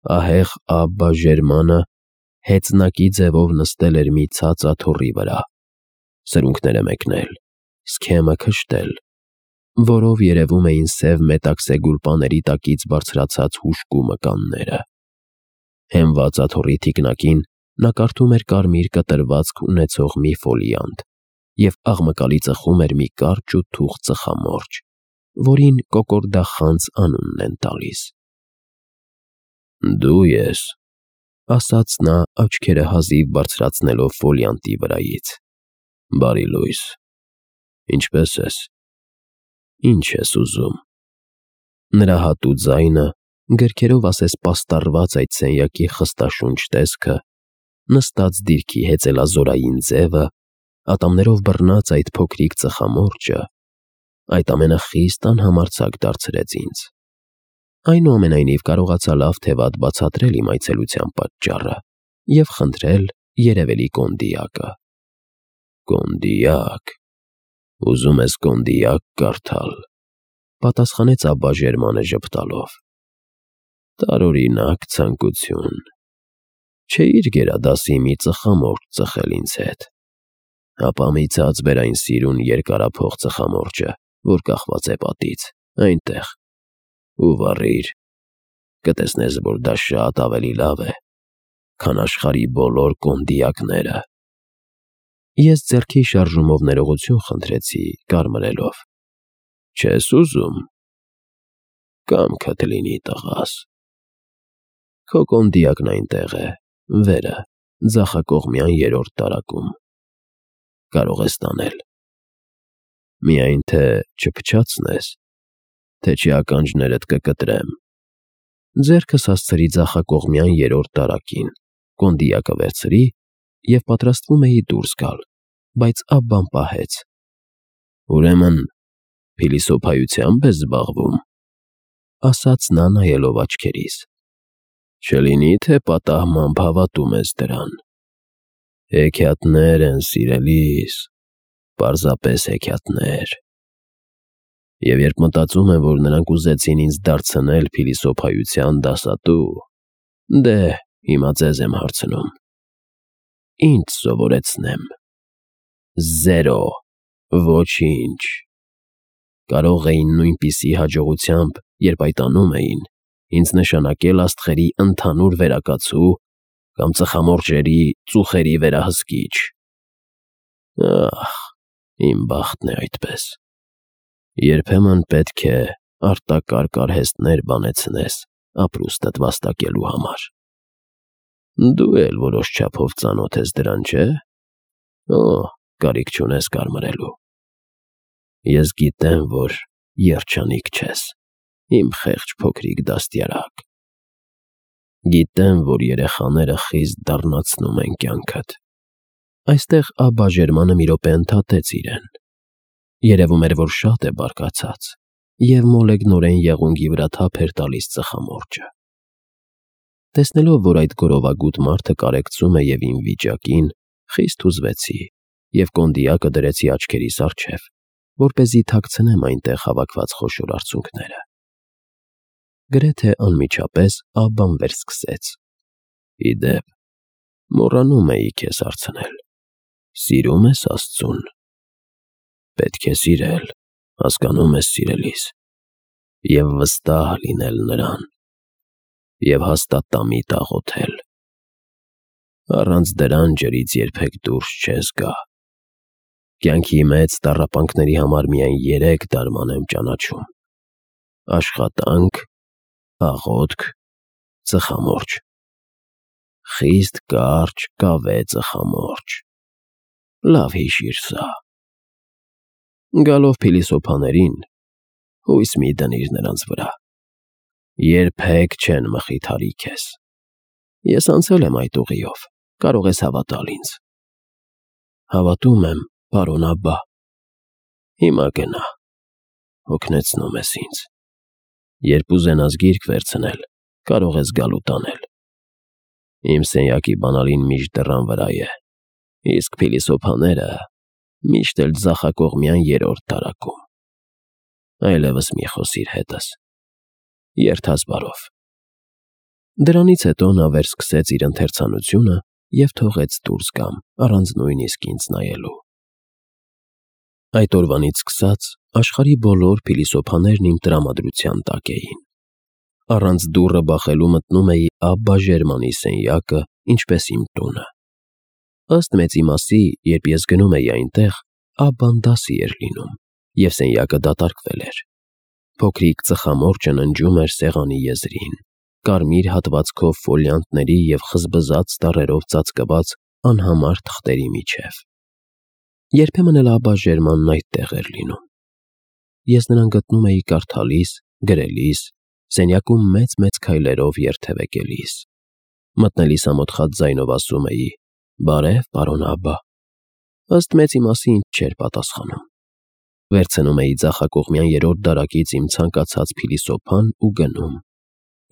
ահեղ Աբբա Ժերմանը հեծնակի ձևով նստել էր մի ցած աթոռի վրա, սրունքները մեկնել, սքեմը քշտել, որով երևում էին սև մետաքսե գուլպաների տակից բարձրացած հուժկու մկանները։ Հենված աթոռի թիկնակին նա կարդում էր կարմիր կտրվածք ունեցող մի ֆոլիանտ և աղմկալի ծխում էր մի կարճ ու թուխ ծխամորճ, որին կոկորդախանձ անունն են տալիս։ «Դու ես», ասաց նա աչքերը հազիվ բարձրացնելով ֆոլիանտի վրայից։ «Բարի լույս, ինչպե՞ս ես, ինչ ես ուզում»։ Նրա հատուկ ձայնը, գրքերով ասես պաստառված այդ սենյակի խստաշունչ տեսքը, նստած դիրքի հեծելազորային ձևը, ատամներով բռնած այդ փոքրիկ ծխամորճը, այդ ամենը խիստ անհամարձակ դարձրեց ինձ։ Այնուամենայնիվ կարողացա լավ թե վատ բացատրել իմ այցելության պատճառը և խնդրել երևելի կոնդիակը։ «Կոնդիակ, ուզում ես կոնդիակ կարդալ», պատասխանեց Աբբա Ժերմանը ժպտալով։ «Տարօրինակ ցանկություն։ Չէիր գերադասի մի ծխամորճ ծխել ինձ հետ։ Ապա մի ցած բեր այն սիրուն երկարափող ծխամորճը, որ կախված է պատից, այնտեղ, ու վառիր, կտեսնես, որ դա շատ ավելի լավ է, քան աշխարհի բոլոր կոնդիակները»։ Ես ձեռքի շարժումով ներողություն խնդրեցի, կարմրելով։ «Չես ուզում։ Կամքդ լինի, տղաս։ Քո կոնդիակն այնտեղ է, վերը, ձախակողմյան երրորդ տարակում։ Կարող ես տանել։ Միայն թե չփչացնես, թե չի ականջներդ կկտրեմ»։ Ձեռքս հասցրի ձախակողմյան երրորդ տարակին, կոնդիակը վերցրի և պատրաստվում էի դուրս գալ, բայց Աբբան պահեց։ «Ուրեմն փիլիսոփայությա՞մբ ես զբաղվում», ասաց նա նայելով աչքերիս։ «Չլինի, թե պատահմամբ հավատում ես դրան։ Հեքիաթներ են, սիրելիս, պարզապես հեքիաթներ։ Եվ երբ մտածում եմ, որ նրանք ուզեցին ինձ դարձնել փիլիսոփայության դասատու, դե, հիմա ձեզ եմ հարցնում. ինչ սովորեցնեմ։ Զերո, ոչինչ։ Կարող էին նույնպիսի հաջողությամբ, երբ այդ անում էին, ինձ նշանակել աստղերի ընդհանուր վերակացու կամ ծխամորճերի ծուխերի վերահսկիչ։ Ահ, իմ բախտն է այդպես։ Երբեմն պետք է արտակարգ արհեստներ բանեցնես ապրուստդ վաստակելու համար։ Դու էլ որոշ չափով ծանոթ ես դրան, չէ՞։ Օ, կարիք չունես կարմրելու։ Ես գիտեմ, որ երջանիկ չես, իմ խեղճ փոքրիկ դաստիարակ։ Գիտեմ, որ երեխաները խիստ դառնացնում են կյանքդ»։ Այստեղ Աբբա Ժերմանը մի րոպե ընդհատեց իրեն։ Երևում էր, որ շատ է բարկացած, և մոլեգնորեն եղունգի վրա թափ էր տալիս ծխամորճը։ Տեսնելով, որ այդ գորովագութ մարդը կարեկցում է և իմ վիճակին, խիստ հուզվեցի և կոնդիակը դրեցի աչքերիս առջև, որպեսզի թաքցնեմ այնտեղ հավաքված խոշոր արցունքները։ Գրեթե անմիջապես Աբբան վերսկսեց. «Ի դեպ, մոռանում էի քեզ հարցնել. սիրում ես Աստծուն։ Պետք է սիրել, հասկանում ես, սիրելիս, և վստահ լինել նրան, և հաստատամիտ աղոթել։ Առանց դրան ջրից երբեք դուրս չես գա։ Կյանքի մեծ տառապանքների համար միայն 3 դարման եմ ճանաչում. աշխատանք, աղոթք, ծխամորճ։ Խիստ կարճ, կավե ծխամորճ։ Լավ հիշիր սա։ Գալով փիլիսոփաներին, հույս մի դնիր նրանց վրա։ Երբեք չեն մխիթարի քեզ։ Ես անցել եմ այդ ուղիով, կարող ես հավատալ ինձ»։ «Հավատում եմ, պարոն Աբբա»։ «Հիմա գնա, հոգնեցնում ես ինձ։ Երբ ուզենաս գիրք վերցնել, կարող ես գալ ու տանել։ Իմ սենյակի բանալին միշտ դռան վրա է, իսկ փիլիսոփաները միշտ էլ ձախակողմյան երրորդ տարակում։ Այլևս մի խոսիր հետս։ Երդաս բարով»։ Դրանից հետո նա վերսկսեց իր ընթերցանությունը և թողեց դուրս գամ, առանց նույնիսկ ինձ նայելու։ Այդ օրվանից սկսած աշխարհի բոլոր փիլիսոփաներն իմ տրամադրության տակ էին։ Առանց դուռը բախելու մտնում էի Աբբա Ժերմանի սենյակը, ինչպես իմ տունը։ Ըստ մեծի մասի, երբ ես գնում էի այնտեղ, Աբբան դասի էր լինում, և սենյակը դատարկվել էր։ Փոքրիկ ծխամորճը ննջում էր սեղանի եզրին, կարմիր հատվածքով ֆոլիանտների և խզբզած տառերով ծածկված անհամար թղթերի միջև։ Երբեմն էլ Աբբա Ժերմանն այդտեղ էր լինում։ Ես նրան գտնում էի կարդալիս, գրելիս, սենյակում մեծ քայլերով երթևեկելիս։ Մտնելիս ամոթխած ձայնով ասում էի. «Բարև, պարոն Աբբա»։ Ըստ մեծի մասի ինձ չէր պատասխանում։ Վերցնում էի ձախակողմյան երրորդ դարակից իմ ցանկացած փիլիսոփան ու գնում,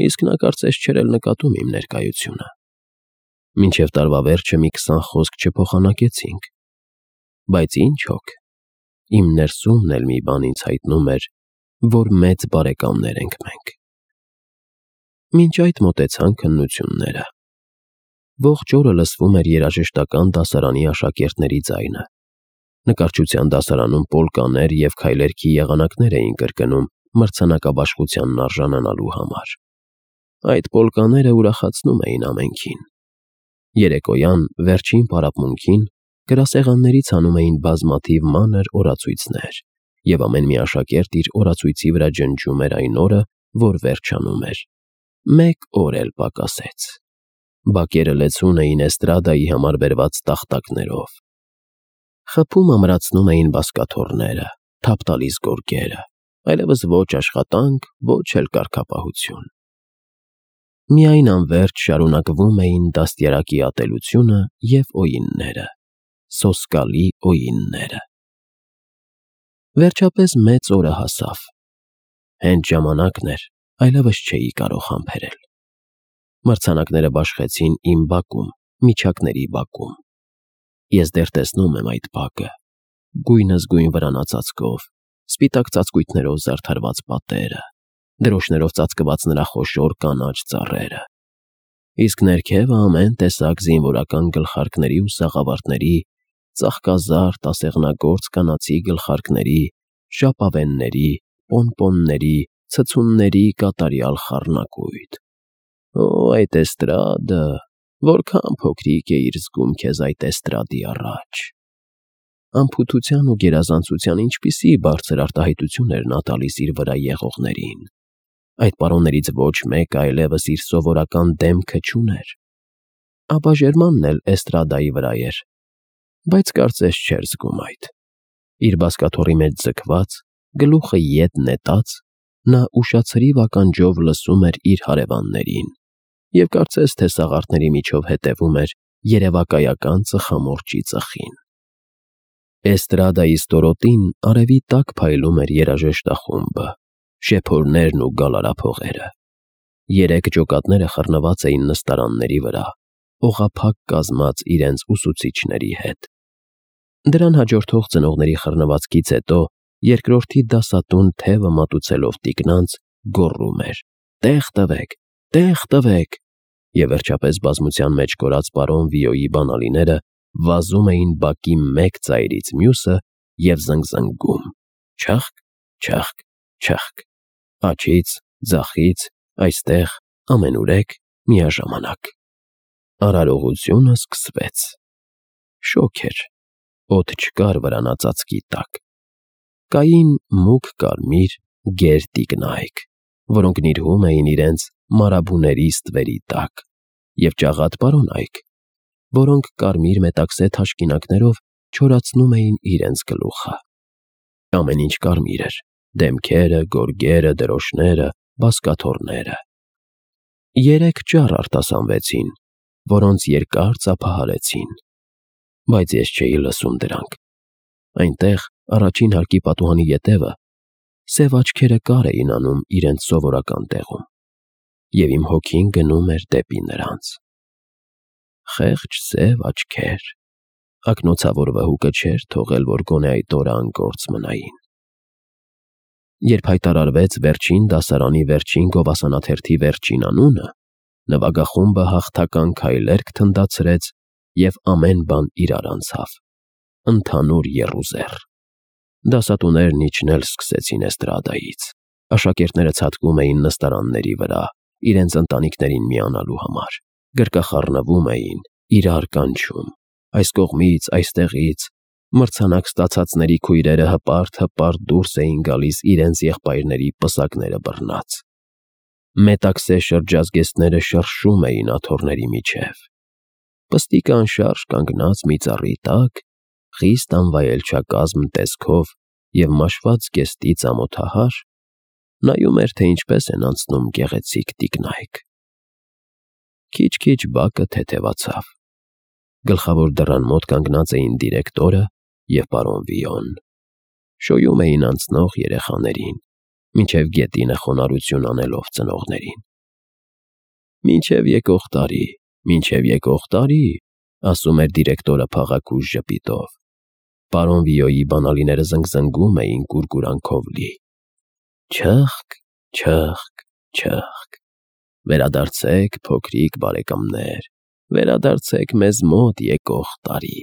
իսկ նա կարծես չէր էլ նկատում իմ ներկայությունը։ Մինչև տարվա վերջը մի 20 խոսք չփոխանակեցինք։ Բայց ինչ հոգ, իմ ներսումն էլ մի բան ինձ հայտնում էր, որ մեծ բարեկամներ ենք մենք։ Մինչ այդ մոտեցան քննությունները։ Ողջ օրը լսվում էր երաժշտական դասարանի աշակերտների ձայնը։ Նկարչության դասարանում պոլկաներ և քայլերքի եղանակներ էին կրկնում մրցանակաբաշխությանն արժանանալու համար։ Այդ պոլկաները ուրախացնում էին ամենքին։ Երեկոյան, վերջին պարապմունքին, գրասեղաններից հանում էին բազմաթիվ մանր օրացույցներ, և ամեն մի աշակերտ իր օրացույցի վրա ջնջում էր այն օրը, որ վերջանում էր։ Մեկ օր էլ պակասեց։ Բակերը լեցուն էին էստրադայի համար բերված տախտակներով։ Խփում ամրացնում էին բազկաթոռները, թափ տալիս գորգերը, այլևս ոչ աշխատանք, ոչ էլ կարգապահություն։ Միայն անվերջ շարունակվում էին դաստիարակի ատելությունը և օյինները, սոսկալի օյինները։ Վերջապես մեծ օրը հասավ։ Հենց ժամանակն էր, այլևս չէի կարող համբերել։ Մրցանակները բաշխեցին իմ բակում, միջակների բակում։ Ես դեռ տեսնում եմ այդ բակը, գույնզգույն վրանածածկով, սպիտակ ծածկույթներով զարդարված պատերը, դրոշներով ծածկված նրա խոշոր կանաչ ծառերը։ Իսկ ներքևը ամեն տեսակ զինվորական գլխարկների ու սաղավարտների, ծաղկազարդ ասեղնագործ կանացի գլխարկների, ժապավենների, պոնպոնների, ցցունների կատարյալ խառնակույտ։ Օ, այդ էստրադը, որքան փոքրիկ էիր զգում քեզ այդ էստրադի առաջ։ Անփութության ու գերազանցության ինչպիսի բարձր արտահայտություն էր նա տալիս իր վրա եղողներին։ Այդ պարոններից ոչ մեկը այլևս իր սովորական դեմքը չուներ։ Աբբա Ժերմանն էլ էստրադայի վրա էր, բայց կարծես չէր զգում այդ։ Իր բազկաթոռի մեջ ձգված, գլուխը ետ նետած, նա ուշացրիվ ականջով լսում էր իր հարևաններին և կարծես թե սաղարթների միջով հետևում էր երևակայական ծխամորճի ծխին։ Էստրադայի ստորոտին արևի տակ փայլում էր երաժշտախումբը, շեփորներն ու գալարափողերը։ 3 ջոկատները խռնված էին նստարանների վրա, օղափակ կազմած իրենց ուսուցիչների հետ։ Դրան հաջորդող ծնողների խռնվածքից հետո երկրորդի դասատուն թևը մատուցելով տիկնանց գոռում էր. «Տեղ տվեք, տեղ տվեք», և վերջապես բազմության մեջ կորած պարոն Վիոյի բանալիները վազում էին բակի մեկ ծայրից մյուսը և զնգզնգում. չըխկ, չըխկ, չըխկ, աջից, ձախից, այստեղ, ամենուրեք, միաժամանակ։ Արարողությունը սկսվեց։ Շոգ էր, օդ չկար վրանածածկի տակ։ Կային մուգ կարմիր, գեր տիկնայք, որոնք նիրհում էին իրենց մարաբուների ստվերի տակ, և ճաղատ պարոնայք, որոնք կարմիր մետաքսե թաշկինակներով չորացնում էին իրենց գլուխը։ Ամեն ինչ կարմիր էր. դեմքերը, գորգերը, դրոշները, բազկաթոռները։ 3 ճառ արտասանվեցին, որոնց երկար ծափահարեցին, բայց ես չէի լսում դրանք։ Այնտեղ, առաջին հարկի պատուհանի ետևը, սև աչքերը կար էին անում իրենց սովորական տեղում, և իմ հոգին գնում էր դեպի նրանց։ Խեղճ սև աչքեր։ Ակնոցավոր վհուկը չէր թողել, որ գոնե այդ օրը անգործ մնային։ Երբ հայտարարվեց վերջին դասարանի վերջին գովասանաթերթի վերջին անունը, Նվագախումբը հաղթական քայլեր քթնդացրեց և ամեն բան իրար անցավ, ընդհանուր եռուզեռ։ Դասատուներն իջնել սկսեցին էստրադայից, աշակերտները ցատկում էին նստարանների վրա, իրենց ընտանիքներին միանալու համար, գրկախառնվում էին, իրար կանչում, այս կողմից, այստեղից, մրցանակ ստացածների քույրերը հպարտ-հպարտ դուրս էին գալիս իրենց եղբայրների պսակները բռնած։ Մետաքսե շրջազգեստները շրշում էին աթոռների միջև։ Պստիկը անշարժ կանգնած մի ծառի տակ, խիստ անվայելչակազմ տեսքով և մաշված զգեստից ամոթահար, նայում էր, թե ինչպես են անցնում գեղեցիկ տիկնայք։ Քիչ-քիչ բակը թեթևացավ։ Գլխավոր դռան մոտ կանգնած էին դիրեկտորը և պարոն Վիոն։ Շոյում էին անցնող երեխաներին, մինչև գետինը խոնարհություն անելով ծնողներին։ «Մինչև եկող տարի, մինչև եկող տարի», ասում էր դիրեկտորը փաղաքուշ ժպիտով։ Պարոն Վիոյի բանալիները զնգզնգում էին կուրկուրանքով լի։ Չըխկ, չըխկ, չըխկ։ Վերադարձեք, փոքրիկ բարեկամներ, վերադարձեք մեզ մոտ եկող տարի։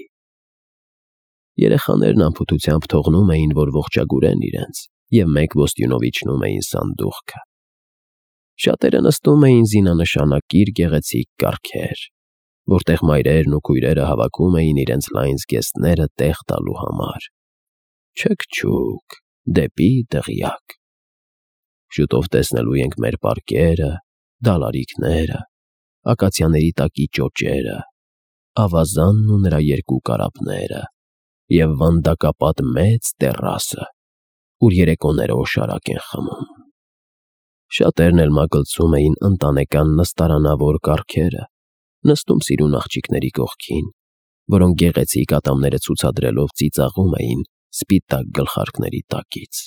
Երեխաներն անփութությամբ թողնում էին, որ ողջագուրեն իրենց, և մեկ ոստյունով իջնում էին սանդուղքը։ Շատերը նստում էին զինանշանակիր գեղեցիկ կառքեր, որտեղ մայրերն ու քույրերը հավաքում էին իրենց լայն զգեստները տեղ տալու համար։ Չըկ-չուկ, դեպի դղյակ։ Շուտով տեսնելու ենք մեր պարկերը, դալարիկները, ակացիաների տակի ճոճերը, ավազանն ու նրա երկու կարապները և վանդակապատ մեծ տեռասը, ուր երեկոները օշարակ են խմում։ Շատերն էլ մագլցում էին ընտանեկան նստարանավոր կառքերը, նստում սիրուն աղջիկների կողքին, որոնք գեղեցիկ ատամները ցուցադրելով ծիծաղում էին սպիտակ գլխարկների տակից։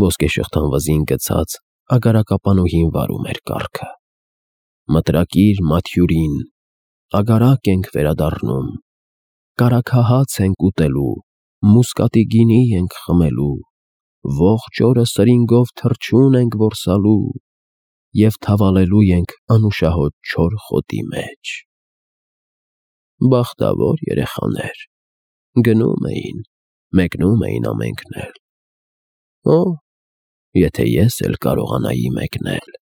Ոսկեշղթան վզին գցած ագարակապանուհին վարում էր կառքը։ Մտրակիր մաթյուրին, ագարակ ենք վերադառնում, կարագահաց ենք ուտելու, մուսկատի գինի ենք խմելու, ողջ օրը սրինգով թռչուն ենք որսալու և թավալելու ենք անուշահոտ չոր խոտի մեջ։ Բախտավոր երեխաներ, գնում էին, մեկնում էին ամենքն էլ։ Օ, եթե ես էլ կարողանայի մեկնել։